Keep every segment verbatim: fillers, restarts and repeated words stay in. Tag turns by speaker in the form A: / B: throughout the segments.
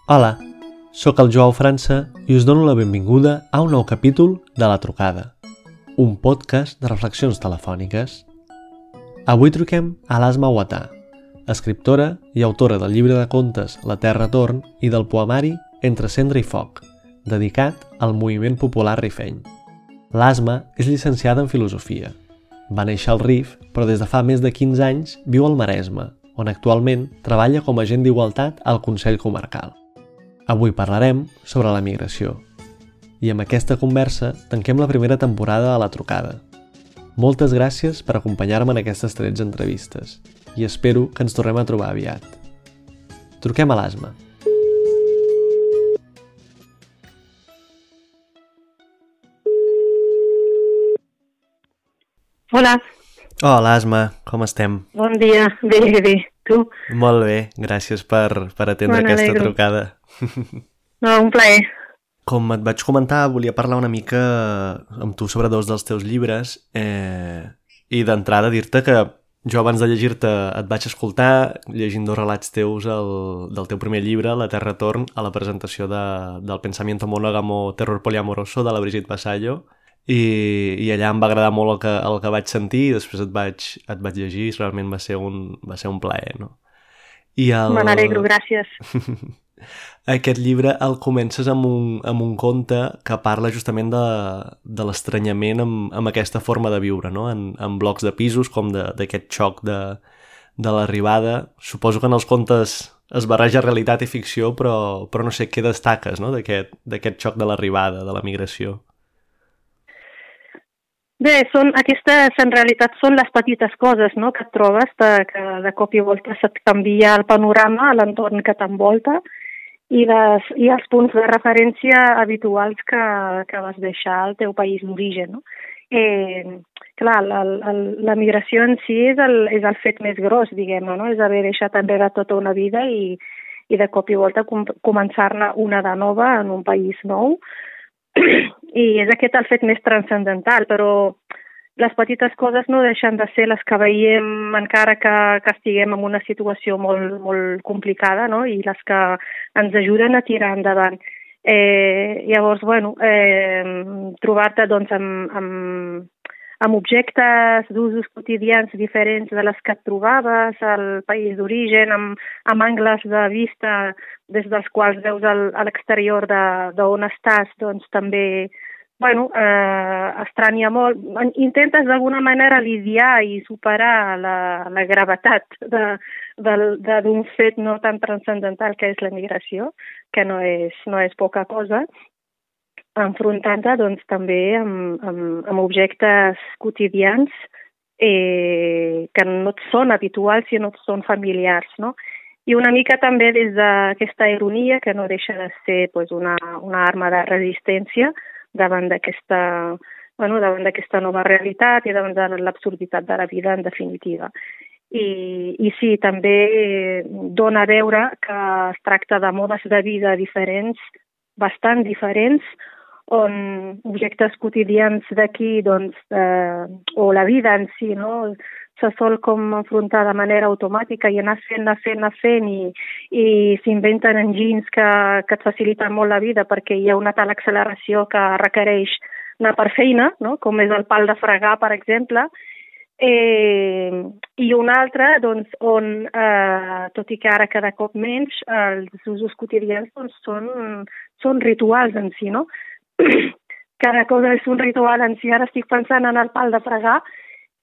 A: Hola, sóc el Joao França i us dono la benvinguda a un nou capítol de La Trucada, un podcast de reflexions telefòniques. Avui truquem a l'Asma Ouattà, escriptora i autora del llibre de contes La Terra Torn i del poemari Entre cendra i foc, dedicat al moviment popular rifeny. L'Asma és llicenciada en filosofia. Va néixer al Rif, però des de fa més de quinze anys viu al Maresme, on actualment treballa com a agent d'igualtat al Consell Comarcal. Avui parlarem sobre la migració. I amb aquesta conversa tanquem la primera temporada a La Trucada. Moltes gràcies per acompanyar-me en aquestes tretze entrevistes i espero que ens tornem a trobar aviat. Truquem a l'Asma.
B: Hola.
A: Hola, Asma, com estem?
B: Bon dia, bé, bé. Tu?
A: Molt bé, gràcies per, per atendre
B: Me
A: aquesta
B: n'alegro.
A: trucada.
B: No, un plaer.
A: Com et vaig comentar, volia parlar una mica amb tu sobre dos dels teus llibres eh, i d'entrada dir-te que jo abans de llegir-te et vaig escoltar llegint dos relats teus el, del teu primer llibre, La Terra Torn, a la presentació de, del Pensamiento Monógamo Terror Poliamoroso de la Brigitte Vasallo i, i allà em va agradar molt el que, el que vaig sentir i després et vaig, et vaig llegir i realment va ser un, va ser un plaer, no? I el...
B: Me n'alegro, gràcies.
A: Aquest llibre el comences amb un, amb un conte que parla justament de, de l'estranyament amb, amb aquesta forma de viure, no? En, en blocs de pisos, com d'aquest xoc de, de l'arribada. Suposo que en els contes es barreja realitat i ficció, però, però no sé què destaques, no? d'aquest d'aquest xoc de l'arribada, de la migració.
B: Bé, són, aquestes en realitat són les petites coses, no?, que et trobes, de, que de cop i volta se't canvia el panorama a l'entorn que t'envolta i, les, i els punts de referència habituals que, que vas deixar al teu país d'origen, no? Eh, clar, la, la, la migració en si és el, és el fet més gros, diguem-ne, no? És haver deixat enrere tota una vida i, i de cop i volta com, començar-ne una de nova en un país nou. I és aquest el fet més transcendental, però les petites coses no deixen de ser les que veiem encara que, que estiguem en una situació molt, molt complicada, no? I les que ens ajuden a tirar endavant. Eh, llavors, bueno, eh, trobar-te doncs, amb, amb, amb objectes d'usos quotidians diferents de les que et trobaves al país d'origen, amb, amb angles de vista des dels quals veus el, a l'exterior d'on estàs, doncs també, bueno, eh, estranya molt. Intentes d'alguna manera lidiar i superar la, la gravetat d'un fet no tan transcendental que és la migració, que no és, no és poca cosa, enfrontant-te doncs, també amb, amb, amb objectes quotidians eh, que no et són habituals i no et són familiars, no? I una mica també des d'aquesta ironia, que no deixa de ser pues, una, una arma de resistència davant d'aquesta bueno, davant d'aquesta nova realitat i davant de l'absurditat de la vida, en definitiva. I, i sí, també dona a veure que es tracta de modes de vida diferents, bastant diferents, on objectes quotidians d'aquí, doncs, eh, o la vida en si, no?, se sol com enfrontar de manera automàtica i anar fent, anar fent, anar fent i, i s'inventen enginys que, que et faciliten molt la vida perquè hi ha una tal acceleració que requereix anar per feina, no?, com és el pal de fregar, per exemple, eh, i un altre, doncs, on, eh, tot i que ara cada cop menys, els usos quotidians doncs, són, són rituals en si, no? Cada cosa és un ritual en si. Ara estic pensant en el pal de fregar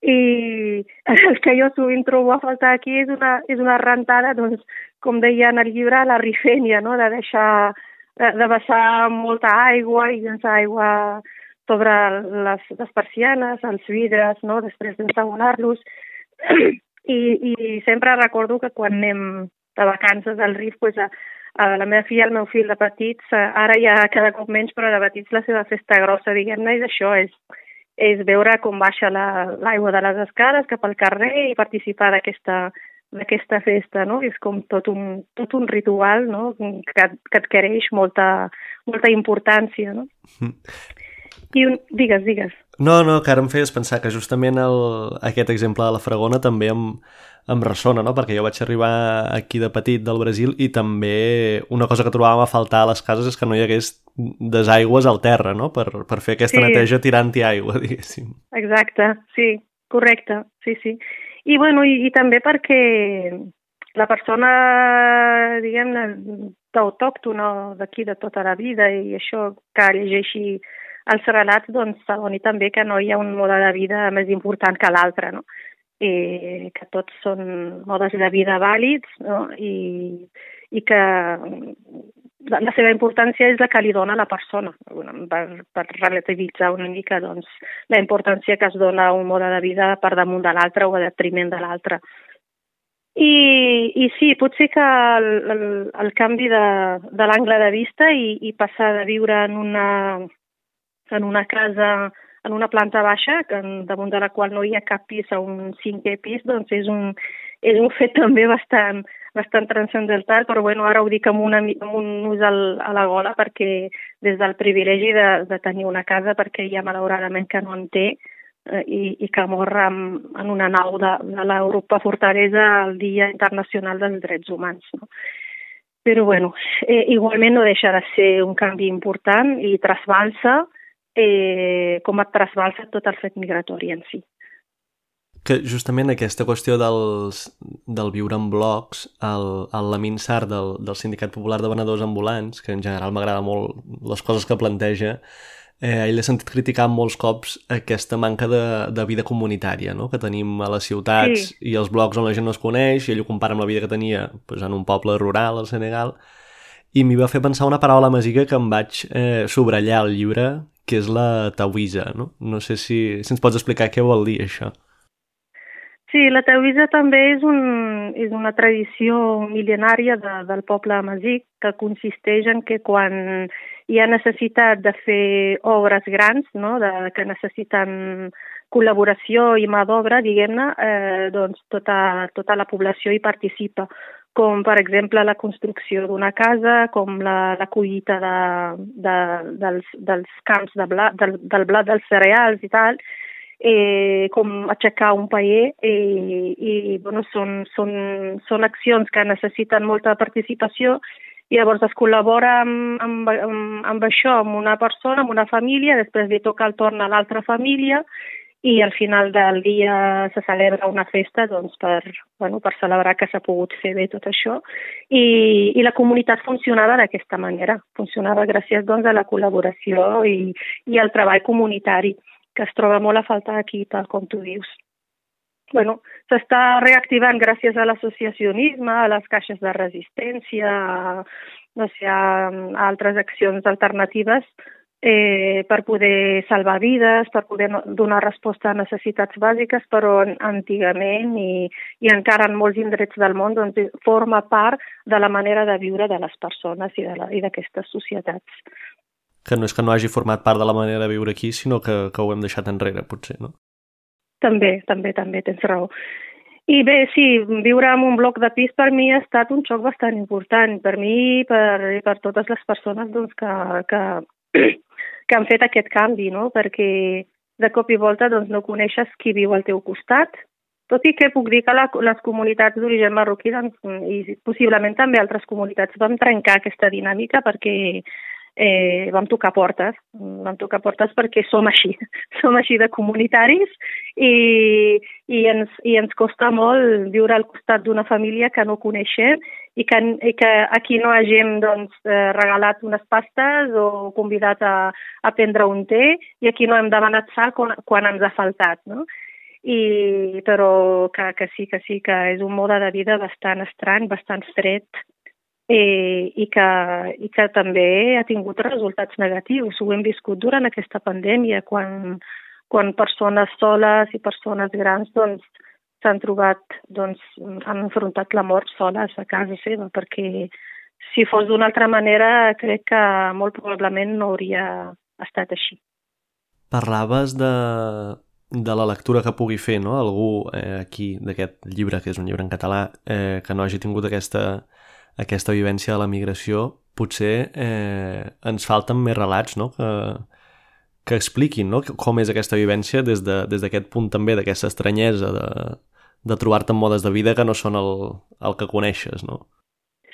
B: i el que jo sovint trobo a faltar aquí és una, és una rentada, doncs, com deia en el llibre, la rifènia, no?, de deixar, de, de vessar molta aigua i llençar aigua sobre les, les persianes, els vidres, no?, després d'ensabonar-los. I, I sempre recordo que quan anem de vacances al Rif, pues, a, a la meva filla i el meu fill de petits, ara ja cada cop menys, però de petits la seva festa grossa, diguem-ne, és això, és és veure com baixa l'aigua la, de les escales cap al carrer i participar d'aquesta d'aquesta festa, no? És com tot un, tot un ritual, no?, que, que adquireix molta, molta importància, no? I un... Digues, digues.
A: No, no, que ara em feies pensar que justament el, aquest exemple de la Fragona també em, em ressona, no? Perquè jo vaig arribar aquí de petit del Brasil i també una cosa que trobàvem a faltar a les cases és que no hi hagués desaigües al terra, no? Per, per fer aquesta sí. neteja tirant-hi aigua, diguéssim.
B: Exacte, sí, correcte, sí, sí. I, bueno, i, i també perquè la persona, diguem-ne, autòctona d'aquí de tota la vida i això que llegeixi els relats, doncs, s'adoni també que no hi ha un mode de vida més important que l'altre, no? I que tots són modes de vida vàlids, no? I, i que la, la seva importància és la que li dona la persona, per, per relativitzar una mica, doncs, la importància que es dona a un mode de vida per damunt de l'altre o a detriment de l'altre. I, I sí, potser que el, el, el canvi de, de l'angle de vista i, i passar de viure en una en una casa, en una planta baixa, que damunt de la qual no hi ha cap pis a un cinquè pis, doncs és un, és un fet també bastant, bastant transcendental, però bueno, ara ho dic amb, una, amb un ús al, a la gola perquè des del privilegi de, de tenir una casa, perquè hi ha malauradament que no en té eh, i, i que mor en, en una nau de, de l'Europa Fortalesa el Dia Internacional dels Drets Humans, no? Però bueno, eh, igualment no deixa de ser un canvi important i trasbalsa Eh, com et trasbalsa tot el fet migratori en si.
A: Que justament aquesta qüestió dels, del viure en blocs, el, el Lamin Sarr del, del Sindicat Popular de Venedors Ambulants, que en general m'agrada molt les coses que planteja, eh, ell l'he sentit criticar molts cops aquesta manca de, de vida comunitària, no? Que tenim a les ciutats sí. I els blocs on la gent no es coneix, i ell ho compara amb la vida que tenia pues, en un poble rural al Senegal, i m'hi va fer pensar una paraula masiga que em vaig eh, subratllar al llibre, que és la tauisa, no? No sé si, si ens pots explicar què vol dir això.
B: Sí, la tauisa també és, un, és una tradició mil·lenària de, del poble amazic que consisteix en que quan hi ha necessitat de fer obres grans, no? de, que necessiten col·laboració i mà d'obra, diguem-ne, eh, doncs tota, tota la població hi participa, com per exemple la construcció d'una casa, com la, la collita de, de, dels, dels camps de blat, del, del blat dels cereals i tal, eh, com aixecar un paller, eh, i bueno, són, són, són accions que necessiten molta participació i llavors es col·labora amb, amb, amb, amb això, amb una persona, amb una família, després li toca el torn a l'altra família i al final del dia se celebra una festa doncs, per, bueno, per celebrar que s'ha pogut fer bé tot això. I, i la comunitat funcionava d'aquesta manera. Funcionava gràcies doncs, a la col·laboració i, i al treball comunitari, que es troba molt a faltar aquí, tal com tu dius. Bueno, s'està reactivant gràcies a l'associacionisme, a les caixes de resistència, a, no sé, a, a altres accions alternatives, Eh, per poder salvar vides, per poder donar resposta a necessitats bàsiques, però antigament i, i encara en molts indrets del món doncs, forma part de la manera de viure de les persones i d'aquestes societats.
A: Que no és que no hagi format part de la manera de viure aquí, sinó que, que ho hem deixat enrere, potser, no?
B: També, també, també, tens raó. I bé, sí, viure en un bloc de pis per mi ha estat un xoc bastant important. Per mi i per, per totes les persones doncs, que... que que han fet aquest canvi, no? Perquè de cop i volta doncs, no coneixes qui viu al teu costat, tot i que puc dir que la, les comunitats d'origen marroquí doncs, i possiblement també altres comunitats vam trencar aquesta dinàmica perquè eh, vam tocar portes, vam tocar portes perquè som així, som així de comunitaris i, i, ens, i ens costa molt viure al costat d'una família que no coneixem i que, i que aquí no hàgim doncs, regalat unes pastes o convidat a, a prendre un té i aquí no hem demanat sal quan, quan ens ha faltat, no? I, però que, que sí, que sí, que és un mode de vida bastant estrany, bastant fred eh, i, que, i que també ha tingut resultats negatius. Ho hem viscut durant aquesta pandèmia, quan, quan persones soles i persones grans doncs, s'han trobat, doncs, han enfrontat la mort soles a casa seva, perquè si fos d'una altra manera crec que molt probablement no hauria estat així.
A: Parlaves de, de la lectura que pugui fer, no? Algú eh, aquí d'aquest llibre, que és un llibre en català, eh, que no hagi tingut aquesta, aquesta vivència de la migració, potser eh, ens falten més relats, no? Que, que expliquin, no?, com és aquesta vivència des de, des d'aquest punt també, d'aquesta estranyesa de, de trobar-te en modes de vida que no són el, el que coneixes, no?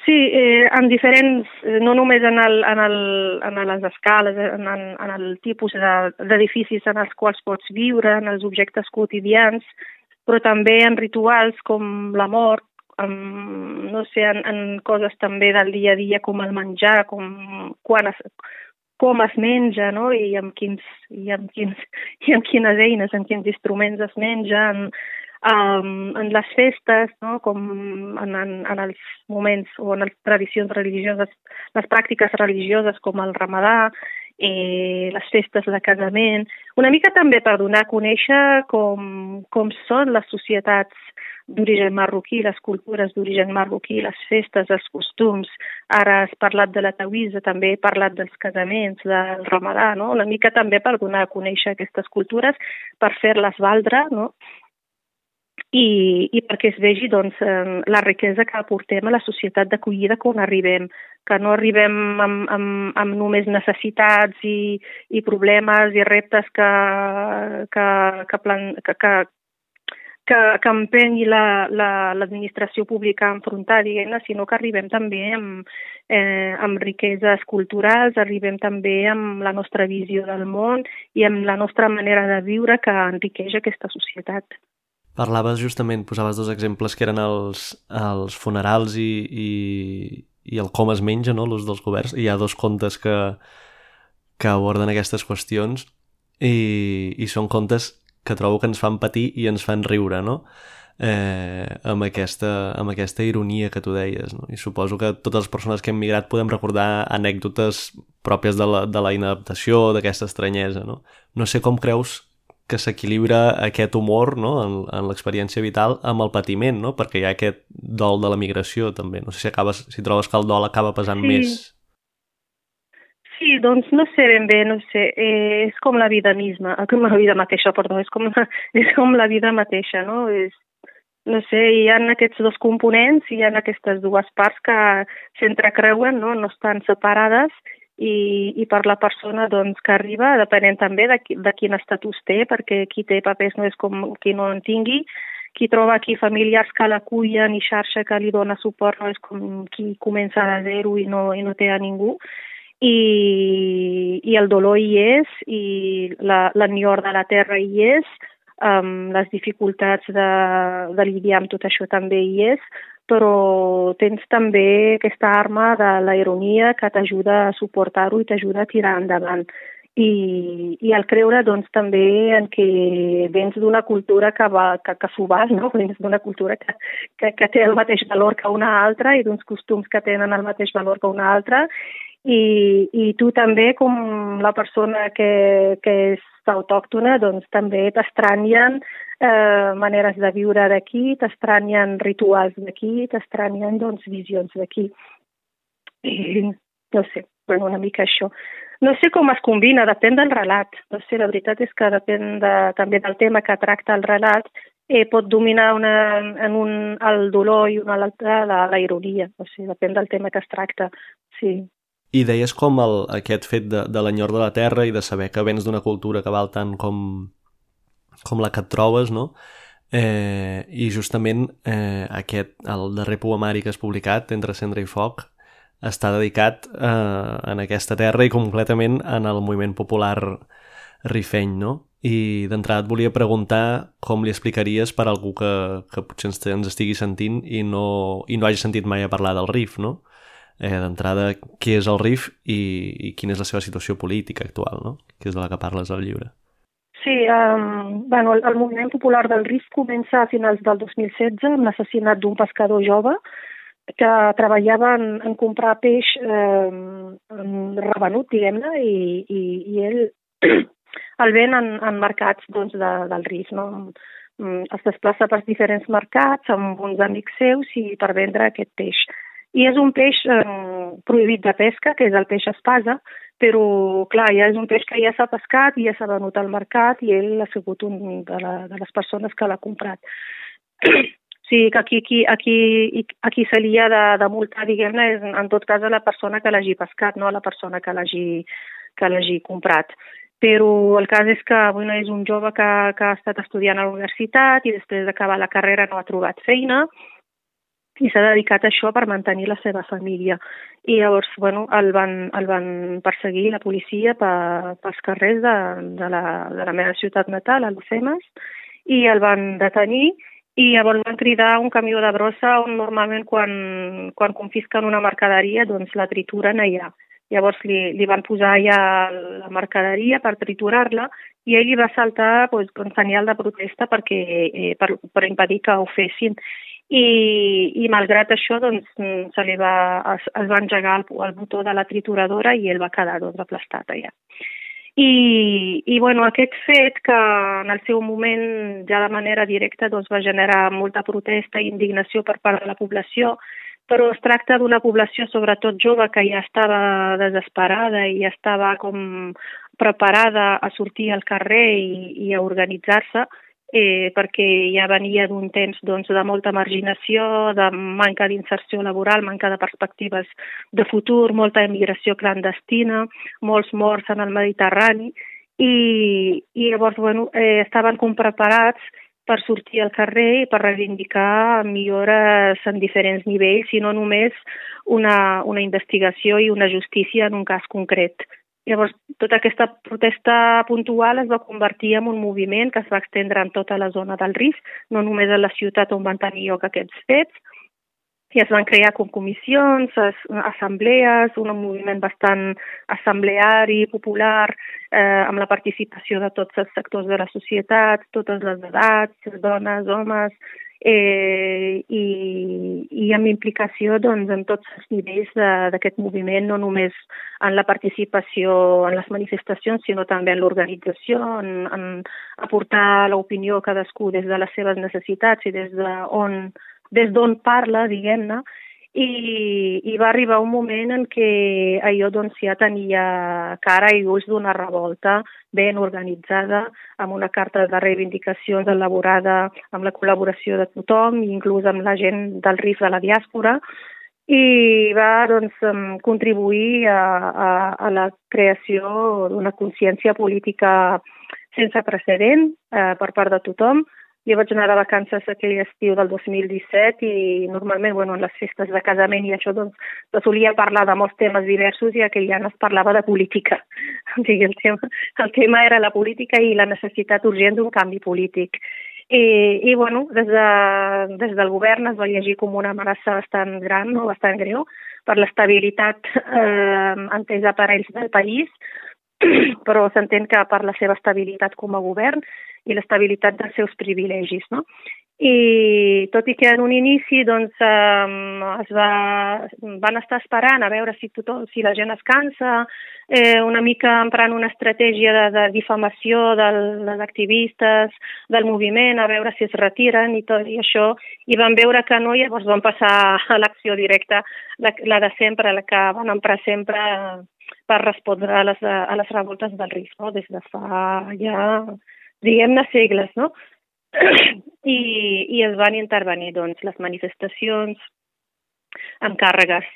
B: Sí, eh, en diferents, no només en, el, en, el, en les escales, en, en, en el tipus d'edificis en els quals pots viure, en els objectes quotidians, però també en rituals com la mort, en, no sé, en, en coses també del dia a dia com el menjar, com, quan es, com es menja, no? I amb, quins, i, amb quins, i amb quines eines, amb quins instruments es menja, en, Um, en les festes, no? Com en, en, en els moments o en les tradicions religioses, les pràctiques religioses com el ramadà, eh, les festes de casament, una mica també per donar a conèixer com, com són les societats d'origen marroquí, les cultures d'origen marroquí, les festes, els costums. Ara has parlat de la tawisa, també he parlat dels casaments, del ramadà, no? Una mica també per donar a conèixer aquestes cultures, per fer-les valdre, no? I, i perquè es vegi doncs, la riquesa que aportem a la societat d'acollida quan arribem, que no arribem amb, amb, amb només necessitats i, i problemes i reptes que, que, que, plan, que, que, que, que empengui l'administració la, la, pública a enfrontar, diguem-ne, sinó que arribem també amb, eh, amb riqueses culturals, arribem també amb la nostra visió del món i amb la nostra manera de viure que enriqueix aquesta societat.
A: Parlaves justament, posaves dos exemples que eren els, els funerals i, i, i el com es menja, no?, l'ús dels governs. Hi ha dos contes que, que aborden aquestes qüestions i, i són contes que trobo que ens fan patir i ens fan riure, no?, eh, amb, aquesta, amb aquesta ironia que tu deies, no? I suposo que totes les persones que hem migrat podem recordar anècdotes pròpies de la, de la inadaptació, d'aquesta estranyesa, no? No sé com creus que s'equilibra aquest humor, no?, en, en l'experiència vital amb el patiment, no?, perquè hi ha aquest dol de la migració també. No sé si, acabes, si trobes que el dol acaba pesant
B: sí.
A: més.
B: Sí, doncs no sé ben bé, no sé, eh, és com la vida misma, com la vida mateixa, perdó, és com la, és com la vida mateixa, no? És, no sé, hi ha aquests dos components, hi ha aquestes dues parts que s'entrecreuen, no?, no estan separades. I, i per la persona doncs, que arriba, depenent també de, qui, de quin estatus té, perquè qui té papers no és com qui no en tingui, qui troba aquí familiars que l'acullen i xarxa que li dona suport no és com qui comença de zero i no, i no té a ningú. I, i el dolor hi és, i l'enyor de la terra hi és, um, les dificultats de, de lidiar amb tot això també hi és, però tens també aquesta arma de la ironia que t'ajuda a suportar-ho i t'ajuda a tirar endavant. I, i el creure doncs, també en que vens d'una cultura que, va, que, que s'ho val, no? Vens d'una cultura que, que, que té el mateix valor que una altra i d'uns costums que tenen el mateix valor que una altra. I, i tu també, com la persona que, que és autòctona, doncs també t'estranyen eh, maneres de viure d'aquí, t'estranyen rituals d'aquí, t'estranyen doncs, visions d'aquí. I no sé, bueno, una mica això. No sé com es combina, depèn del relat. No sé, la veritat és que depèn de, també del tema que tracta el relat, eh, pot dominar una, en un, el dolor i una altra la, la ironia. No sé, depèn del tema que es tracta, sí.
A: I deies com el, aquest fet de, de l'enyor de la terra i de saber que vens d'una cultura que val tant com, com la que et trobes, no? Eh, I justament eh, aquest, el darrer poemari que has publicat, Entre cendra i foc, està dedicat eh, en aquesta terra i completament en el moviment popular rifeny, no? I d'entrada et volia preguntar com li explicaries per a algú que, que potser ens, ens estigui sentint i no, i no hagi sentit mai a parlar del Rif, no? Eh, d'entrada, què és el Rif i, i quina és la seva situació política actual, no? Que és de la que parles al llibre.
B: Sí, um, bueno, el, el moviment popular del Rif comença a finals del dos mil setze amb l'assassinat d'un pescador jove que treballava en, en comprar peix eh, revenut, diguem-ne, i, i, i ell el ven en, en mercats doncs, de, del Rif, no? Es desplaça per diferents mercats amb uns amics seus i per vendre aquest peix. I és un peix eh, prohibit de pesca, que és el peix espasa, però, clar, ja és un peix que ja s'ha pescat i ja s'ha venut al mercat i ell ha sigut un de, la, de les persones que l'ha comprat. O sigui que aquí, aquí, aquí, aquí se li ha de, de multar, diguem-ne, és en tot cas a la persona que l'hagi pescat, no a la persona que l'hagi que l'hagi comprat. però el cas és que bueno, és un jove que, que ha estat estudiant a la universitat i després d'acabar la carrera no ha trobat feina i s'ha dedicat a això per mantenir la seva família. I llavors bueno, el, van, el van perseguir la policia per, pels carrers de, de, la, de la meva ciutat natal, a Alhucemas, i el van detenir i llavors van cridar un camió de brossa on normalment quan, quan confisquen una mercaderia doncs la trituren allà. Llavors li, li van posar allà la mercaderia per triturar-la i ell li va saltar doncs, un senyal de protesta perquè, eh, per, per impedir que ho fessin. I, i malgrat això doncs, se li va, es, es va engegar el, el botó de la trituradora i ell va quedar doncs, aplastat allà. I, i bueno, aquest fet que en el seu moment ja de manera directa doncs, va generar molta protesta i indignació per part de la població, però es tracta d'una població sobretot jove que ja estava desesperada i ja estava com preparada a sortir al carrer i, i a organitzar-se, eh, perquè ja venia d'un temps doncs, de molta marginació, de manca d'inserció laboral, manca de perspectives de futur, molta emigració clandestina, molts morts en el Mediterrani, i, i llavors bueno, eh, estaven com preparats per sortir al carrer i per reivindicar millores en diferents nivells i no només una, una investigació i una justícia en un cas concret. Llavors, tota aquesta protesta puntual es va convertir en un moviment que es va estendre en tota la zona del Rif, no només a la ciutat on van tenir lloc aquests fets, i es van crear com comissions, assemblees, un moviment bastant assembleari, popular, eh, amb la participació de tots els sectors de la societat, totes les edats, dones, homes, eh, i, i amb implicació doncs, en tots els nivells d'aquest moviment, no només en la participació en les manifestacions, sinó també en l'organització, en, en aportar l'opinió cadascú des de les seves necessitats i des d'on des d'on parla, diguem-ne, i, i va arribar un moment en què allò doncs, ja tenia cara i ulls d'una revolta ben organitzada, amb una carta de reivindicacions elaborada amb la col·laboració de tothom, inclús amb la gent del Rif de la diàspora, i va doncs, contribuir a, a, a la creació d'una consciència política sense precedent eh, per part de tothom. Jo vaig anar de vacances aquell estiu del dos mil disset i normalment bueno, en les festes de casament i això doncs, se solia parlar de molts temes diversos i aquell any es parlava de política. O sigui, el, tema, el tema era la política i la necessitat urgent d'un canvi polític. I, i bueno, des, de, des del govern es va llegir com una amenaça bastant gran, no? Bastant greu, per l'estabilitat eh, entesa per ells del país, però s'entén que per la seva estabilitat com a govern i l'estabilitat dels seus privilegis, no? I tot i que en un inici doncs, eh, es va, van estar esperant a veure si, tothom, si la gent es cansa, eh, una mica emprant una estratègia de, de difamació dels activistes, del moviment, a veure si es retiren i tot i això, i van veure que no, i llavors van passar a l'acció directa, la, la de sempre, la que van emprar sempre per respondre a les, a les revoltes del Rif, no? Des de fa ja, diguem-ne, segles, no? I, i es van intervenir doncs, les manifestacions amb càrregues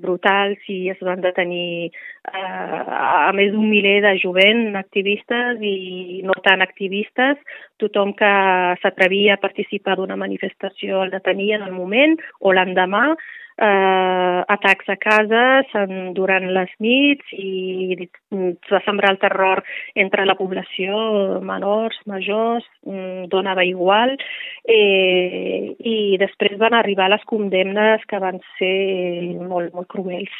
B: brutals i es van detenir eh, a més d'un miler de jovent activistes i no tan activistes. Tothom que s'atrevia a participar d'una manifestació el detenia en el moment o l'endemà. Eh, atacs a cases durant les nits i es va sembrar el terror entre la població, menors, majors, donava igual, eh, i després van arribar les condemnes que van ser molt, molt cruels.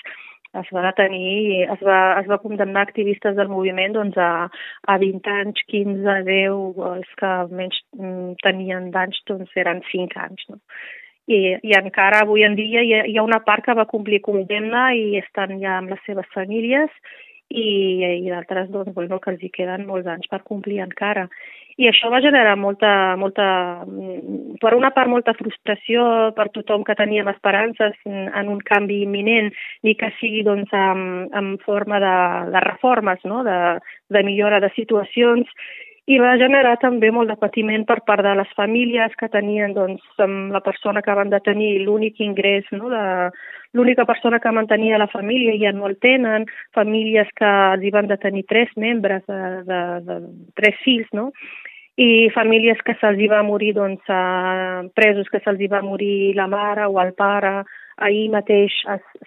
B: Es va detenir, es va, es va condemnar activistes del moviment doncs, a, a vint anys, quinze, deu, els que menys tenien d'anys doncs, eren cinc anys, no? I, i encara avui en dia hi ha, hi ha una part que va complir condemna i estan ja amb les seves famílies i, i d'altres doncs, bueno, que els hi queden molts anys per complir encara. I això va generar molta, molta, per una part molta frustració per tothom que teníem esperances en un canvi imminent i que sigui doncs, en, en forma de, de reformes, no? de, de millora de situacions. i va generar també molt de patiment per part de les famílies que tenien, doncs, amb la persona que van detenir l'únic ingrés, no? de, l'única persona que mantenia la família ja no el tenen, famílies que els hi van detenir tres membres, de, de, de tres fills, no? I famílies que se'ls hi va morir, doncs, a presos que se'ls hi va morir la mare o el pare. Ahir mateix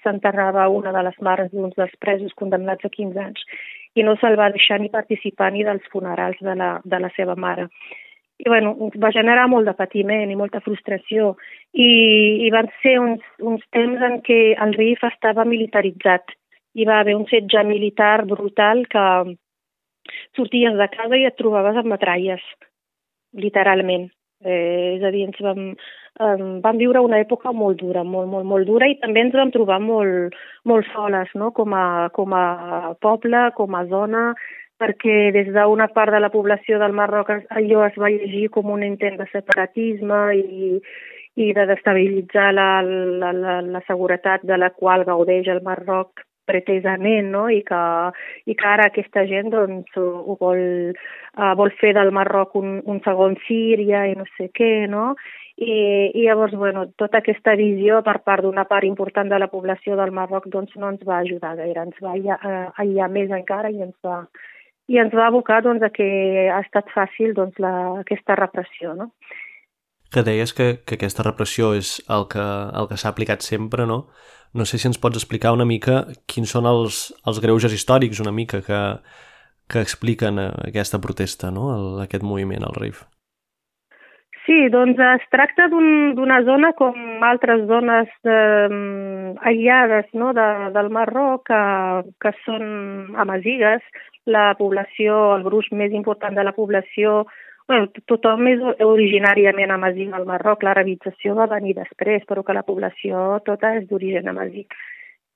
B: s'enterrava una de les mares d'uns dels presos condemnats a quinze anys i no se'l va deixar ni participar ni dels funerals de la, de la seva mare. I bueno, va generar molt de patiment i molta frustració i, i van ser uns, uns temps en què el R I F estava militaritzat. Hi va haver un setge militar brutal que sorties de casa i et trobaves amb metralles, literalment. Eh, és a dir, ens vam, eh, vam viure una època molt dura, molt, molt, molt dura, i també ens vam trobar molt, molt soles, no? com, a, com a poble, com a zona, perquè des d'una part de la població del Marroc allò es va llegir com un intent de separatisme i, i de destabilitzar la, la, la, la seguretat de la qual gaudeix el Marroc pretesament, no? I que, i que ara aquesta gent doncs, ho vol, uh, vol fer del Marroc un, un segon Síria i no sé què, no? I, i llavors, bueno, tota aquesta visió per part d'una part important de la població del Marroc doncs, no ens va ajudar gaire, ens va aïllar més encara i ens va, i ens va abocar doncs, a que ha estat fàcil doncs, la, aquesta repressió, no?
A: Que deies que, que aquesta repressió és el que, el que s'ha aplicat sempre, no? No sé si ens pots explicar una mica quins són els, els greuges històrics una mica que, que expliquen aquesta protesta, no? El, aquest moviment, el R I F.
B: Sí, doncs es tracta d'un, d'una zona com altres zones eh, aïllades, no? de, del Marroc que, que són amazigues. La població, el gruix més important de la població, bueno, tothom és originàriament amazigh al Marroc, l'arabització va venir després, però que la població tota és d'origen amazigh.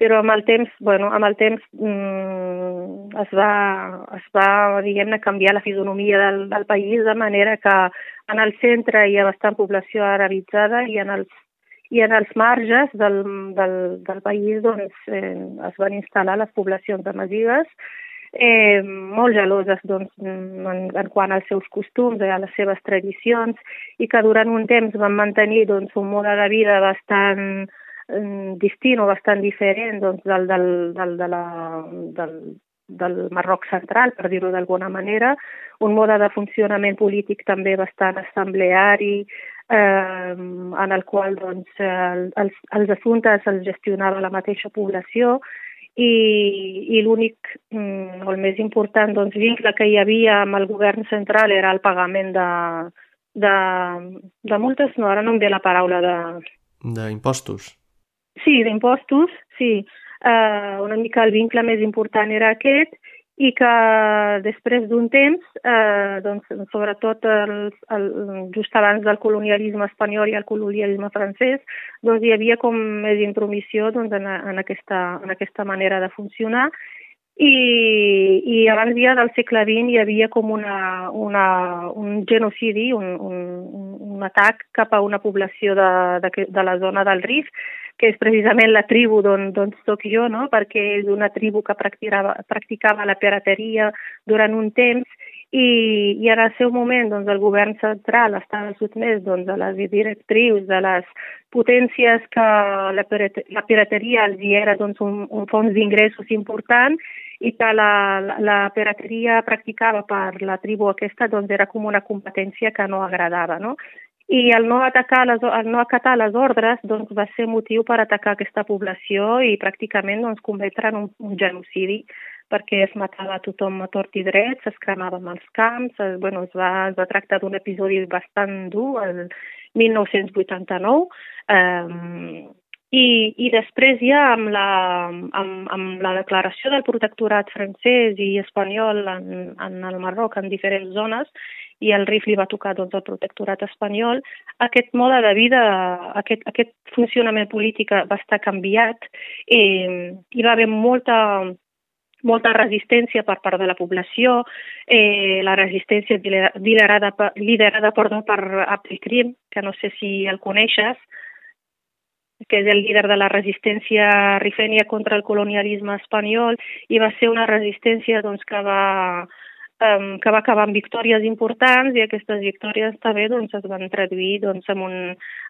B: Però amb el temps, bueno, amb el temps mm, es va, es va diguem-ne, canviar la fisonomia del, del país de manera que en el centre hi ha bastant població arabitzada i en els, i en els marges del, del, del país doncs, eh, es van instal·lar les poblacions amazigues, Eh, molt geloses doncs, en, en quant als seus costums, a les seves tradicions, i que durant un temps van mantenir doncs, un mode de vida bastant eh, distint o bastant diferent doncs, del, del, del, de la, del, del Marroc central, per dir-ho d'alguna manera, un mode de funcionament polític també bastant assembleari, eh, en el qual doncs, els, els assumptes els gestionava la mateixa població, i, i l'únic, o el més important, doncs, vincle que hi havia amb el govern central era el pagament de, de, de multes, no, ara no em ve la paraula de...
A: D'impostos?
B: Sí, d'impostos, sí. Uh, una mica el vincle més important era aquest, i que després d'un temps, eh, doncs, sobretot el, el, just abans del colonialisme espanyol i el colonialisme francès, doncs hi havia com més intromissió doncs, en, en, aquesta, en aquesta manera de funcionar, i, i abans ja del segle vint hi havia com una, una, un genocidi, un, un, un atac cap a una població de, de, de la zona del Rif, que és precisament la tribu d'on soc jo, no? Perquè és una tribu que practicava, practicava la pirateria durant un temps i, i en el seu moment doncs, el govern central estava sotmès doncs, a les directrius de les potències que la, la pirateria els hi era doncs, un, un fons d'ingressos important i que la, la, la pirateria practicava per la tribu aquesta doncs, era com una competència que no agradava, no? I el no, atacar les, el no acatar les ordres doncs, va ser motiu per atacar aquesta població i pràcticament doncs, convertir en un, un genocidi, perquè es matava a tothom a tort i dret, es cremaven els camps, es, bueno, es, va, es va tractar d'un episodi bastant dur, el mil nou-cents vuitanta-nou, eh, i, i després ja amb la, amb, amb la declaració del protectorat francès i espanyol en, en el Marroc en diferents zones, i el R I F li va tocar doncs, el protectorat espanyol, aquest mode de vida, aquest, aquest funcionament polític va estar canviat i hi va haver molta, molta resistència per part de la població, eh, la resistència liderada, liderada perdó, per Abdelkrim, que no sé si el coneixes, que és el líder de la resistència rifènia contra el colonialisme espanyol, i va ser una resistència doncs, que va um, que va acabar amb victòries importants, i aquestes victòries també doncs, es van traduir doncs, en, un,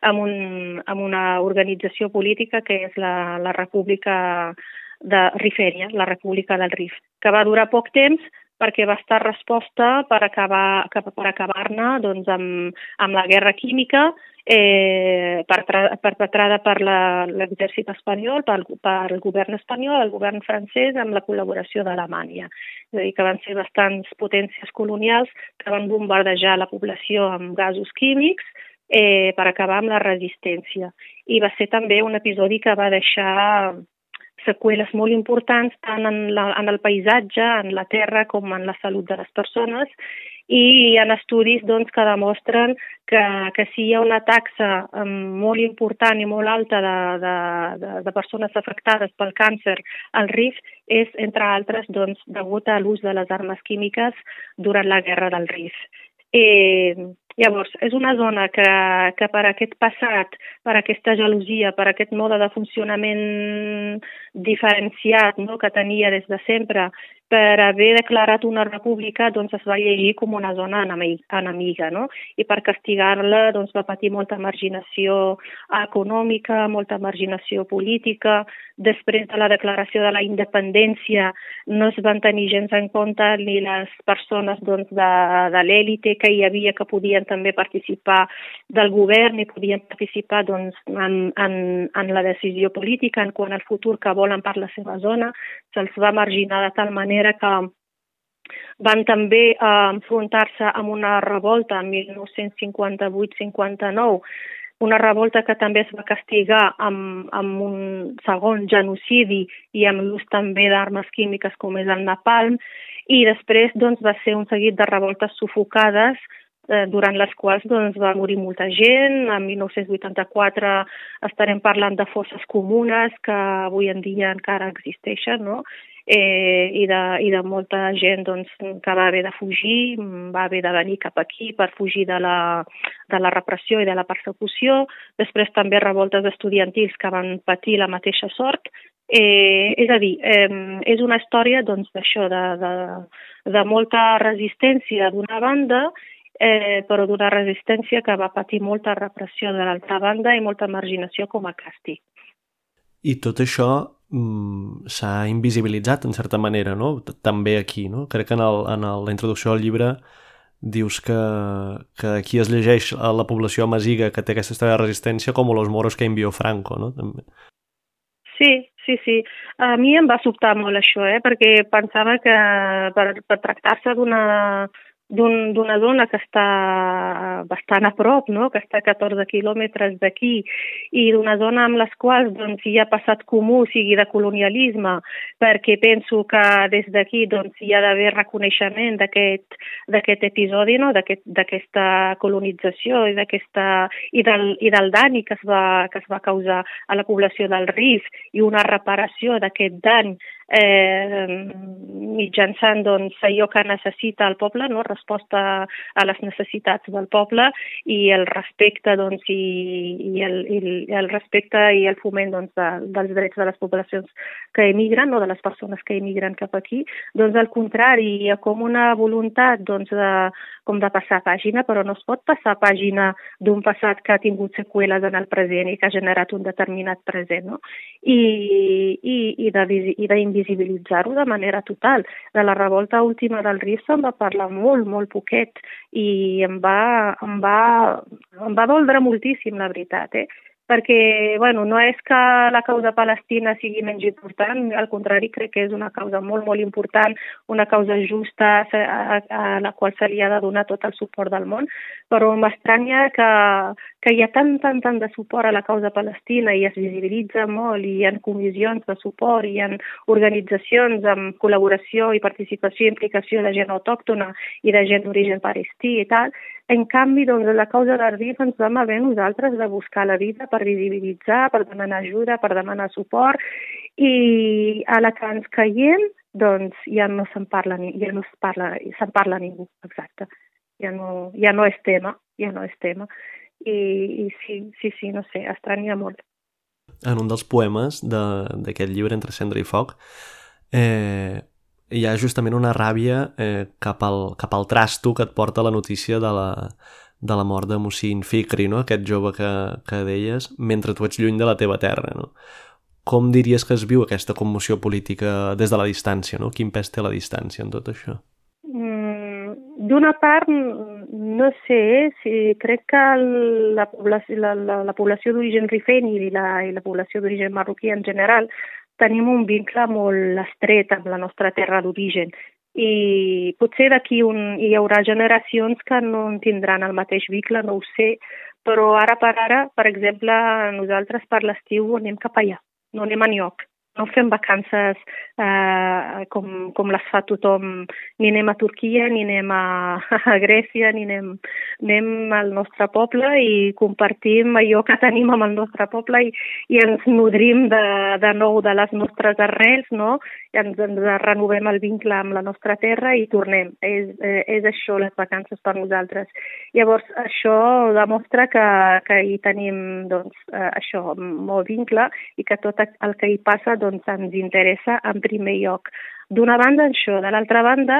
B: en, un, en una organització política que és la, la República de Rifèria, la República del Rif, que va durar poc temps perquè va estar resposta per acabar per acabar-ne doncs, amb, amb la guerra química eh, perpetrada per l'exèrcit espanyol, pel, pel govern espanyol, el govern francès, amb la col·laboració d'Alemanya. És a dir, que van ser bastants potències colonials que van bombardejar la població amb gasos químics eh, per acabar amb la resistència. I va ser també un episodi que va deixar seqüeles molt importants tant en, la, en el paisatge, en la terra, com en la salut de les persones, i hi ha estudis doncs, que demostren que, que si hi ha una taxa um, molt important i molt alta de, de, de, de persones afectades pel càncer al Rif és, entre altres, doncs, degut a l'ús de les armes químiques durant la guerra del Rif. Eh, llavors, és una zona que, que per aquest passat, per aquesta gelosia, per aquest mode de funcionament diferenciat, no?, que tenia des de sempre, per haver declarat una república, doncs es va llegir com una zona enemiga, no? I per castigar-la doncs, va patir molta marginació econòmica, molta marginació política. Després de la declaració de la independència no es van tenir gens en compte ni les persones doncs, de, de l'èlite que hi havia, que podien també participar del govern i podien participar doncs, en, en, en la decisió política en quant al futur que volen per la seva zona. Se'ls va marginar de tal manera que van també eh, enfrontar-se amb una revolta en mil nou-cents cinquanta-vuit cinquanta-nou, una revolta que també es va castigar amb, amb un segon genocidi i amb l'ús també d'armes químiques com és el napalm, i després doncs, va ser un seguit de revoltes sufocades eh, durant les quals doncs, va morir molta gent. En mil nou-cents vuitanta-quatre estarem parlant de fosses comunes que avui en dia encara existeixen, no? Eh, i, de, i de molta gent doncs, que va haver de fugir, va haver de venir cap aquí per fugir de la, de la repressió i de la persecució. Després també revoltes estudiantils que van patir la mateixa sort. Eh, és a dir, eh, és una història doncs, d'això, de, de, de molta resistència d'una banda, eh, però d'una resistència que va patir molta repressió de l'altra banda i molta marginació com a càstig.
A: I tot això mm, s'ha invisibilitzat en certa manera, no? També aquí, no? Crec que en, el, en el, la introducció del llibre dius que, que aquí es llegeix a la població amaziga que té aquesta història de resistència com los moros que envió Franco, no? També.
B: Sí, sí, sí. A mi em va sobtar molt això, eh? Perquè pensava que per, per tractar-se d'una d'un, d'una zona que està bastant a prop, no? Que està a catorze quilòmetres d'aquí, i d'una zona amb les quals doncs, hi ha passat comú, sigui de colonialisme, perquè penso que des d'aquí doncs, hi ha d'haver reconeixement d'aquest, d'aquest episodi, no? D'aquest, d'aquesta colonització i, d'aquesta, i, del, i del dany que es, va, que es va causar a la població del Rif i una reparació d'aquest dany eh, mitjançant doncs, allò que necessita el poble, no? Resposta a les necessitats del poble i el respecte doncs, i, i, el, i el respecte i el foment doncs, de, dels drets de les poblacions que emigren, no? De les persones que emigren cap aquí. Doncs al contrari, hi ha com una voluntat doncs, de, com de passar pàgina, però no es pot passar pàgina d'un passat que ha tingut seqüeles en el present i que ha generat un determinat present, no? I, i, i d'invisibilitzar-ho de manera total. De la revolta última del Rif se'n va parlar molt, molt poquet, i em va, em va, em va doldre moltíssim, la veritat, eh? Perquè, bueno, no és que la causa palestina sigui menys important, al contrari, crec que és una causa molt, molt important, una causa justa a, a, a la qual se li ha de donar tot el suport del món, però m'estranya que, que hi ha tant, tant, tant de suport a la causa palestina i es visibilitza molt, i hi ha comissions de suport, i hi ha organitzacions amb col·laboració i participació i implicació de gent autòctona i de gent d'origen palestí i tal. En canvi, doncs, la causa del Rif ens vam haver nosaltres de buscar la vida per visibilitzar, per demanar ajuda, per demanar suport, i a la que ens caiem, doncs ja no se'n parla, ja no es parla, se'n parla ningú, exacte. Ja no, ja no és tema, ja no és tema. I, i sí, sí, sí, no sé, estranya molt.
A: En un dels poemes d'aquest llibre, Entre cendra i foc, eh, hi ha justament una ràbia eh, cap, al, cap al trasto que et porta la notícia de la, de la mort de Muhsin Fikri, no? Aquest jove que, que deies, mentre tu ets lluny de la teva terra, no? Com diries que es viu aquesta commoció política des de la distància, no? Quin pes té la distància en tot això?
B: Mm, D'una part, no sé, si crec que la població, la, la, la població d'origen rifeni i la, i la població d'origen marroquí en general tenim un vincle molt estret amb la nostra terra d'origen. I potser d'aquí un, hi haurà generacions que no en tindran el mateix vincle, no ho sé, però ara per ara, per exemple, nosaltres per l'estiu anem cap allà, no anem enlloc. No fem vacances eh, com, com les fa tothom, ni anem a Turquia, ni anem a, a Grècia, ni anem, anem al nostre poble i compartim allò que tenim amb el nostre poble i, i ens nodrim de, de nou de les nostres arrels, no? I ens, ens renovem el vincle amb la nostra terra i tornem. És, eh, és això les vacances per nosaltres. Llavors, això demostra que, que hi tenim doncs, eh, això, molt vincle i que tot el que hi passa doncs ens interessa en primer lloc. D'una banda això, de l'altra banda,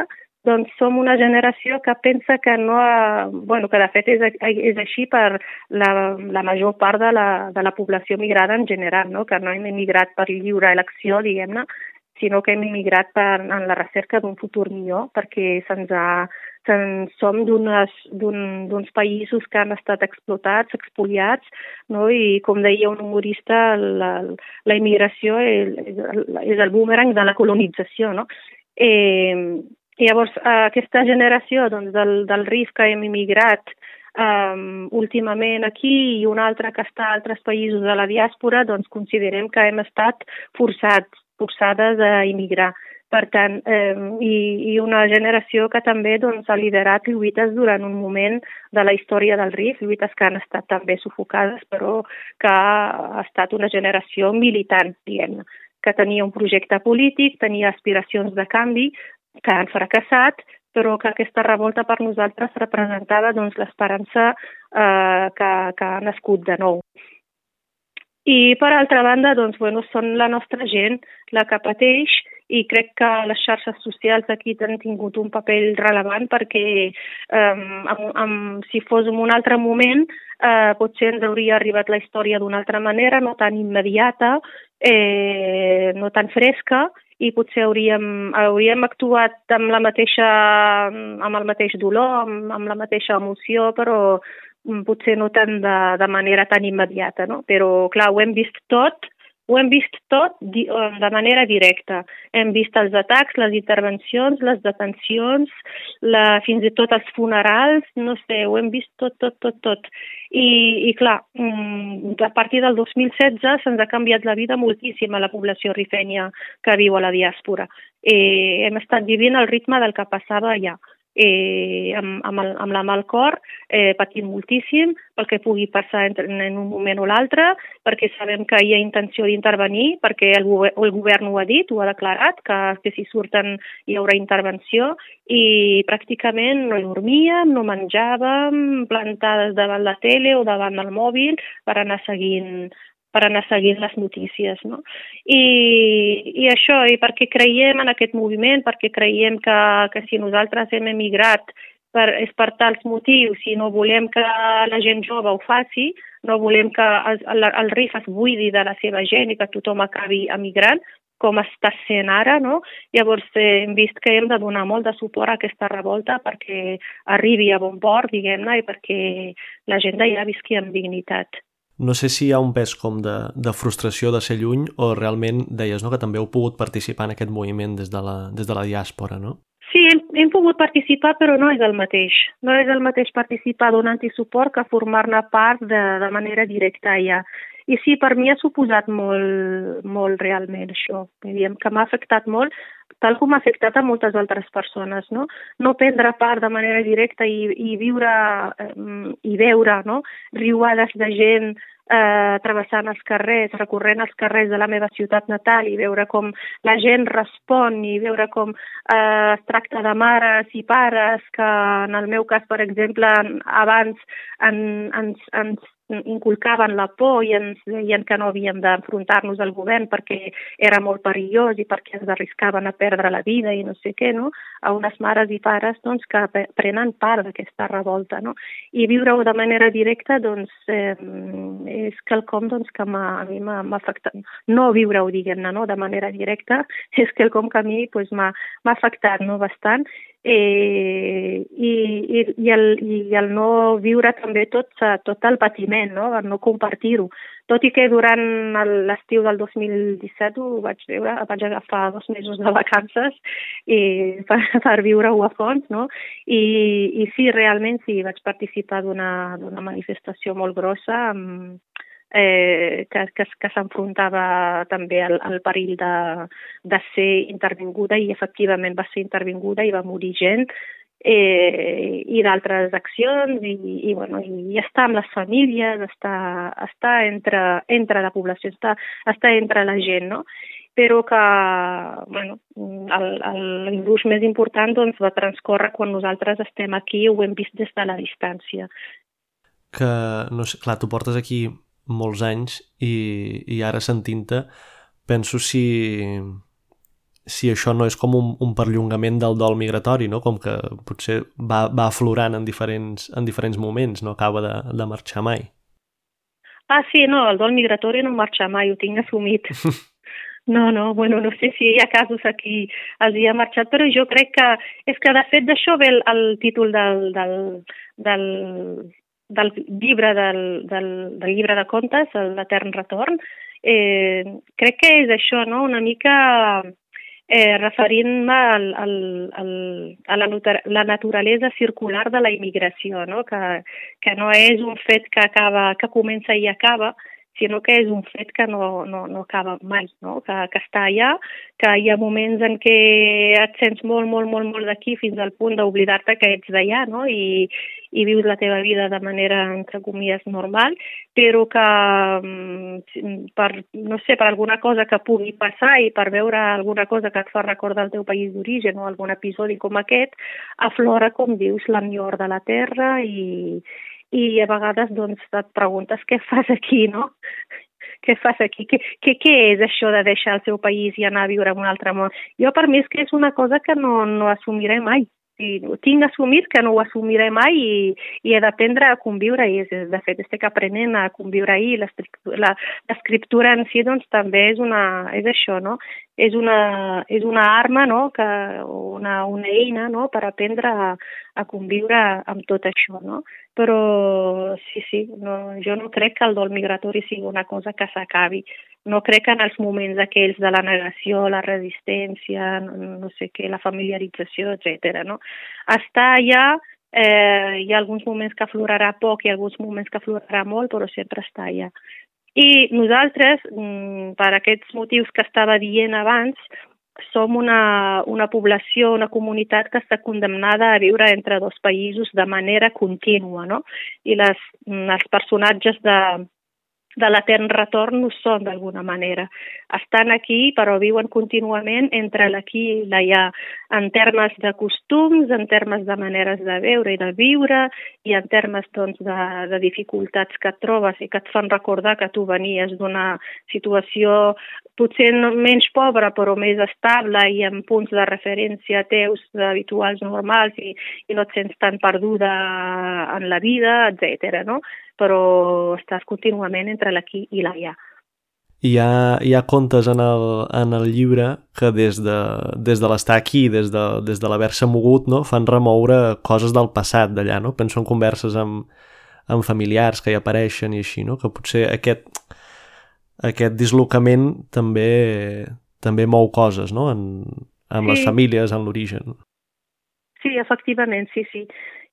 B: doncs som una generació que pensa que no ha, bueno, que de fet és, és així per la, la major part de la, de la població migrada en general, no? Que no hem emigrat per lliure elecció, diguem-ne, sinó que hem emigrat per, en la recerca d'un futur millor, perquè se'ns ha, se'n, som d'uns països que han estat explotats, expoliats, no? I com deia un humorista, la, la immigració és, és el boomerang de la colonització, no? Eh, llavors, aquesta generació doncs, del, del R I F que hem immigrat um, últimament aquí i una altra que està a altres països de la diàspora, doncs considerem que hem estat forçats, forçades a immigrar. Per tant, eh, i, i una generació que també doncs, ha liderat lluites durant un moment de la història del R I F, lluites que han estat també sufocades, però que ha estat una generació militant, diguem-ne, que tenia un projecte polític, tenia aspiracions de canvi, que han fracassat, però que aquesta revolta per nosaltres representava doncs, l'esperança eh, que, que ha nascut de nou. I per altra banda, doncs, bueno, són la nostra gent la que pateix i crec que les xarxes socials aquí han tingut un paper rellevant perquè um, amb, amb, si fos en un altre moment eh, potser ens hauria arribat la història d'una altra manera, no tan immediata, eh, no tan fresca, i potser hauríem, hauríem actuat amb, la mateixa, amb el mateix dolor, amb, amb la mateixa emoció, però potser no tant de, de manera tan immediata, no? Però, clar, ho hem vist tot, ho hem vist tot di, de manera directa. Hem vist els atacs, les intervencions, les detencions, la, fins i tot els funerals, no sé, ho hem vist tot, tot, tot, tot. I, i clar, a partir del dos mil setze se'ns ha canviat la vida moltíssim a la població rifènia que viu a la diàspora. Eh, hem estat vivint al ritme del que passava allà. Eh, amb, amb, el, amb la mà al cor, eh, patint moltíssim pel que pugui passar en, en un moment o l'altre, perquè sabem que hi ha intenció d'intervenir, perquè el, el govern ho ha dit, ho ha declarat, que, que si surten hi haurà intervenció, i pràcticament no dormíem, no menjàvem, plantades davant la tele o davant del mòbil per anar seguint per anar seguint les notícies, no? I, i això, i perquè creiem en aquest moviment, perquè creiem que, que si nosaltres hem emigrat per, és per tals motius, i no volem que la gent jove ho faci, no volem que el, el R I F es buidi de la seva gent i que tothom acabi emigrant, com està sent ara, no? Llavors eh, hem vist que hem de donar molt de suport a aquesta revolta perquè arribi a bon port, diguem-ne, i perquè la gent d'allà visqui amb dignitat.
A: No sé si hi ha un pes com de, de frustració de ser lluny o realment deies, no, que també heu pogut participar en aquest moviment des de la, des de la diàspora, no?
B: Sí, hem, hem pogut participar, però no és el mateix. No és el mateix participar donant-hi suport que formar-ne part de, de manera directa allà. I sí, per mi ha suposat molt, molt realment això. Diem que m'ha afectat molt, tal com ha afectat a moltes altres persones, no? No prendre part de manera directa i, i viure eh, i veure, no? Riuades de gent eh, travessant els carrers, recorrent els carrers de la meva ciutat natal i veure com la gent respon i veure com eh, es tracta de mares i pares que, en el meu cas, per exemple, abans en, ens, ens inculcaven la por i ens deien que no havíem d'enfrontar-nos al govern perquè era molt perillós i perquè ens arriscaven a perdre la vida i no sé què, no? A unes mares i pares doncs, que prenen part d'aquesta revolta, no? I viure-ho de manera directa doncs, eh, és quelcom doncs, que a mi m'ha afectat. No viure-ho, diguem-ne, no? De manera directa, és quelcom que a mi doncs, m'ha afectat, no? Bastant. Eh, i, i, i, el, i el no viure també tot, tot el patiment, no? El no compartir-ho. Tot i que durant l'estiu del dos mil disset ho vaig veure, vaig agafar dos mesos de vacances i per, per viure-ho a fons, no? I, i sí, realment sí, vaig participar d'una manifestació molt grossa amb, Eh, que, que, que s'enfrontava també al, al perill de, de ser intervinguda i efectivament va ser intervinguda i va morir gent eh, i d'altres accions i, i, bueno, i estar amb les famílies, estar, estar entre, entre la població, estar, estar entre la gent, no? Però que bueno, l'impuls més important doncs, va transcórrer quan nosaltres estem aquí i ho hem vist des de la distància.
A: Que, no sé, clar, tu portes aquí molts anys i, i ara sentint-te penso si, si això no és com un, un perllongament del dol migratori, no? Com que potser va, va aflorant en diferents, en diferents moments, no acaba de, de marxar mai.
B: Ah, sí, no, el dol migratori no marxa mai, ho tinc assumit. No, no, bueno, no sé si hi ha casos aquí els hi ha marxat, però jo crec que és que de fet d'això ve el, el títol del, del, del del llibre del, del, del llibre de contes, l'Etern Retorn, eh, crec que és això, no? Una mica eh, referint-me al, al, al, a la, la naturalesa circular de la immigració, no? Que, que no és un fet que acaba, que comença i acaba, sinó que és un fet que no, no, no acaba mai, no? Que, que està allà, que hi ha moments en què et sents molt, molt, molt, molt d'aquí fins al punt d'oblidar-te que ets d'allà, no? I, i vius la teva vida de manera, entre comies, normal, però que per, no sé, per alguna cosa que pugui passar i per veure alguna cosa que et fa recordar el teu país d'origen o algun episodi com aquest, aflora, com dius, l'enyor de la terra i, i a vegades doncs, et preguntes què fas aquí, no? Què fas aquí? Què, què, què és això de deixar el seu país i anar a viure en un altre món? Jo per mi és que és una cosa que no, no assumiré mai. Sí, ho tinc assumit que no ho assumiré mai i, i he d'aprendre a conviure i de fet estic aprenent a conviure i l'escriptura en si doncs també és una és això, no? És una, és una arma, no? Que, una, una eina, no? Per aprendre a, a conviure amb tot això, no? Però sí, sí, no, jo no crec que el dol migratori sigui una cosa que s'acabi. No crec que en els moments aquells de la negació, la resistència, no, no sé què, la familiarització, etcètera, no? Està allà, eh, hi ha alguns moments que aflorarà poc i alguns moments que aflorarà molt, però sempre està allà. I nosaltres, per aquests motius que estava dient abans, som una, una població, una comunitat que està condemnada a viure entre dos països de manera contínua, no? I les, els personatges de, de l'Etern Retorn ho són d'alguna manera. Estan aquí però viuen contínuament entre l'aquí i l'allà, en termes de costums, en termes de maneres de veure i de viure i en termes doncs, de, de dificultats que et trobes i que et fan recordar que tu venies d'una situació potser menys pobra però més estable i amb punts de referència teus habituals normals i, i no et sents tan perduda en la vida, etcètera, no? Però estàs contínuament entre l'aquí i l'allà.
A: Hi ha, hi ha contes en el, en el llibre que des de, des de l'estar aquí, des de, des de l'haver-se mogut, no, fan remoure coses del passat d'allà, no? Penso en converses amb, amb familiars que hi apareixen i així, no? Que potser aquest, aquest dislocament també, també mou coses, no? En, amb sí. Les famílies, en l'origen.
B: Sí, efectivament, sí, sí.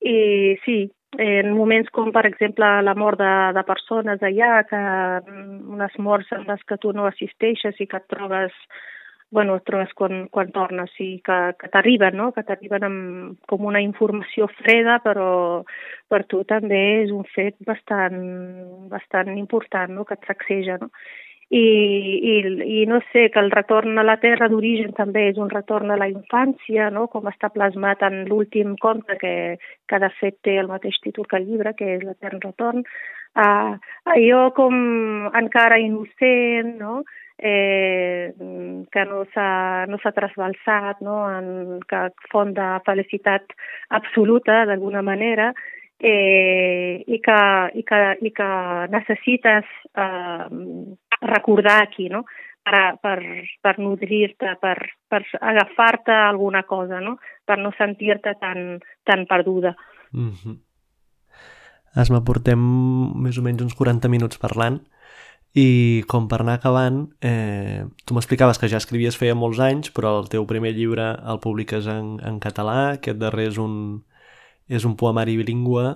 B: I sí, en moments com, per exemple, la mort de, de persones allà, que unes morts en les que tu no assisteixes i que et trobes bueno, et trobes quan, quan tornes, sí, que, que t'arriben, no? Que t'arriben amb, com una informació freda, però per tu també és un fet bastant, bastant important, no? Que et sacseja, no? I, i, i no sé, que el retorn a la terra d'origen també és un retorn a la infància, no? Com està plasmat en l'últim conte, que, que de fet té el mateix títol que el llibre, que és l'Etern Retorn. Uh, allò com encara innocent, no? Eh, que no s'ha no s'ha trasbalsat, no? En, que font de felicitat absoluta, d'alguna manera, eh, i, que, i, que, i que necessites eh, recordar aquí, no? Per, per, per nodrir-te, per, per agafar-te a alguna cosa, no? Per no sentir-te tan, tan perduda.
A: Mm-hmm. Asma, portem més o menys uns quaranta minuts parlant i com per anar acabant, eh, tu m'explicaves que ja escrivies feia molts anys, però el teu primer llibre el publiques en, en català, aquest darrer és un, és un poemari bilingüe,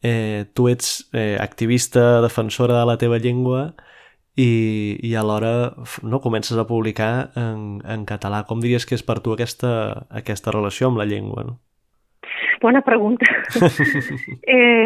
A: eh, tu ets eh, activista, defensora de la teva llengua i, i alhora no, comences a publicar en, en català. Com diries que és per tu aquesta, aquesta relació amb la llengua? No?
B: Bona pregunta. eh...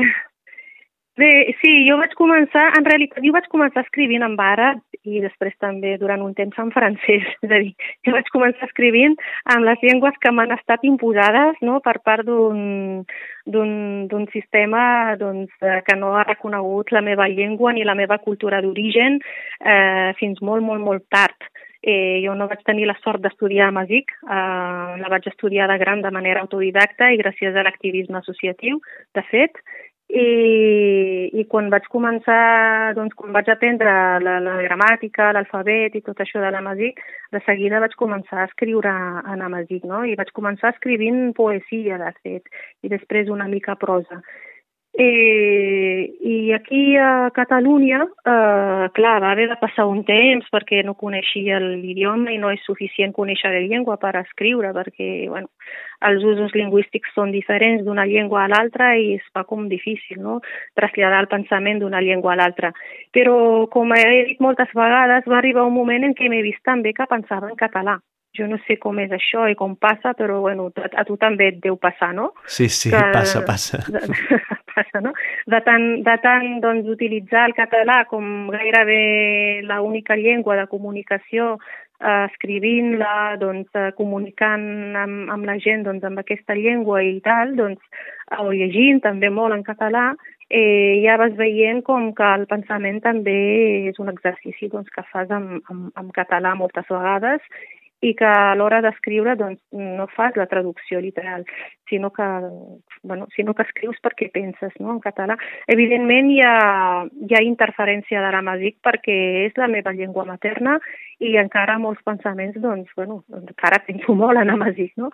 B: Bé, sí, jo vaig començar, en realitat, jo vaig començar escrivint en àrab i després també durant un temps en francès, és a dir, jo vaig començar escrivint en les llengües que m'han estat imposades, no?, per part d'un d'un sistema doncs, que no ha reconegut la meva llengua ni la meva cultura d'origen eh, fins molt, molt, molt tard. Eh, jo no vaig tenir la sort d'estudiar a Masic, eh, la vaig estudiar de gran de manera autodidacta i gràcies a l'activisme associatiu, de fet. I, i quan vaig començar, doncs quan vaig aprendre la, la gramàtica, l'alfabet i tot això de l'amazic, de seguida vaig començar a escriure en amazic, no? I vaig començar escrivint poesia, de fet, i després una mica prosa. Eh, I aquí a Catalunya, eh, clar, va haver de passar un temps perquè no coneixia l'idioma i no és suficient conèixer la llengua per escriure, perquè bueno, els usos lingüístics són diferents d'una llengua a l'altra i es fa com difícil, no?, traslladar el pensament d'una llengua a l'altra. Però, com he dit moltes vegades, va arribar un moment en què m'he vist també que pensava en català. Jo no sé com és això i com passa, però bueno, a tu també et deu passar, no?
A: Sí, sí, que, passa, passa.
B: De, passa, no? De tant, de tant doncs, utilitzar el català com gairebé l'única llengua de comunicació, eh, escrivint-la, doncs, eh, comunicant amb, amb la gent doncs, amb aquesta llengua i tal, doncs, o llegint també molt en català, eh, ja vas veient com que el pensament també és un exercici doncs, que fas amb, amb, amb català moltes vegades, i que a l'hora d'escriure doncs, no fas la traducció literal, sinó que, bueno, sinó que escrius perquè penses, no?, en català. Evidentment hi ha, hi ha interferència de l'amazic perquè és la meva llengua materna i encara molts pensaments, doncs, bueno, encara penso molt en amazic, no?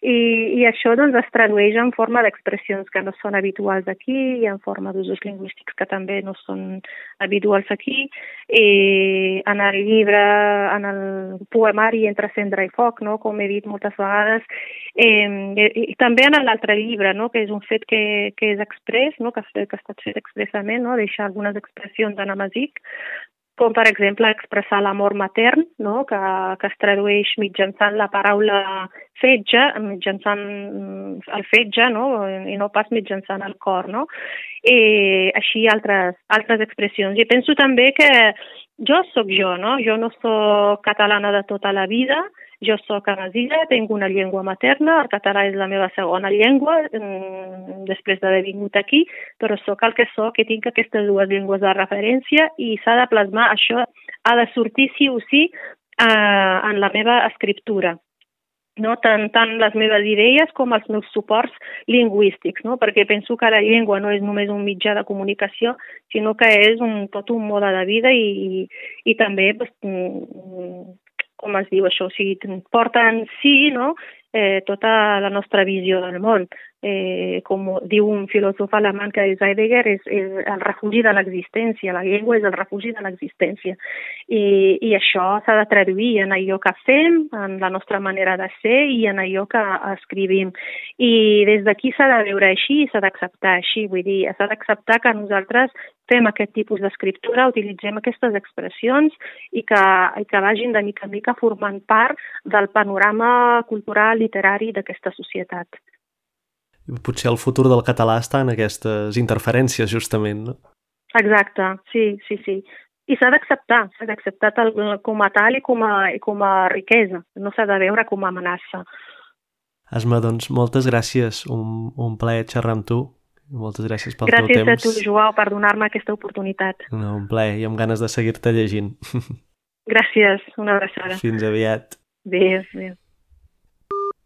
B: I, i això doncs, es tradueix en forma d'expressions que no són habituals aquí i en forma d'usos lingüístics que també no són habituals aquí. I en el llibre, en el poemari Entre cendra i foc, no?, com he dit moltes vegades, eh, i també en l'altre llibre, no?, que és un fet que, que és express, no?, que, que ha estat fet expressament, no?, deixar algunes expressions en amazic, com per exemple expressar l'amor matern, no?, que, que es tradueix mitjançant la paraula fetge, mitjançant el fetge, no?, i no pas mitjançant el cor, no? I així altres, altres expressions. I penso també que jo sóc jo, no? Jo no sóc catalana de tota la vida, jo sóc amazigha, tinc una llengua materna, el català és la meva segona llengua, després d'haver vingut aquí, però sóc el que sóc i tinc aquestes dues llengües de referència i s'ha de plasmar, això ha de sortir sí o sí eh, en la meva escriptura. No? Tant, tant les meves idees com els meus suports lingüístics, no? Perquè penso que la llengua no és només un mitjà de comunicació, sinó que és un, tot un mode de vida i, i, i també, pues, com es diu això, o sigui, porta en si, no?, eh, tota la nostra visió del món. eh, com diu un filòsof alemany que és Heidegger, és, és el refugi de l'existència, la llengua és el refugi de l'existència. I, i això s'ha de traduir en allò que fem, en la nostra manera de ser i en allò que escrivim. I des d'aquí s'ha de veure així i s'ha d'acceptar així, vull dir, s'ha d'acceptar que nosaltres fem aquest tipus d'escriptura, utilitzem aquestes expressions i que, i que vagin de mica en mica formant part del panorama cultural, literari d'aquesta societat.
A: Potser el futur del català està en aquestes interferències, justament, no?
B: Exacte, sí, sí, sí. I s'ha d'acceptar, s'ha d'acceptar com a tal i com a, i com a riquesa, no s'ha de veure com a amenaça.
A: Asma, doncs, moltes gràcies, un, un plaer xerrar amb tu. Moltes gràcies pel
B: gràcies
A: teu temps.
B: Gràcies a tu, Joao, per donar-me aquesta oportunitat.
A: No, un plaer, i amb ganes de seguir-te llegint.
B: Gràcies, una abraçada.
A: Fins aviat.
B: Adéu, adéu.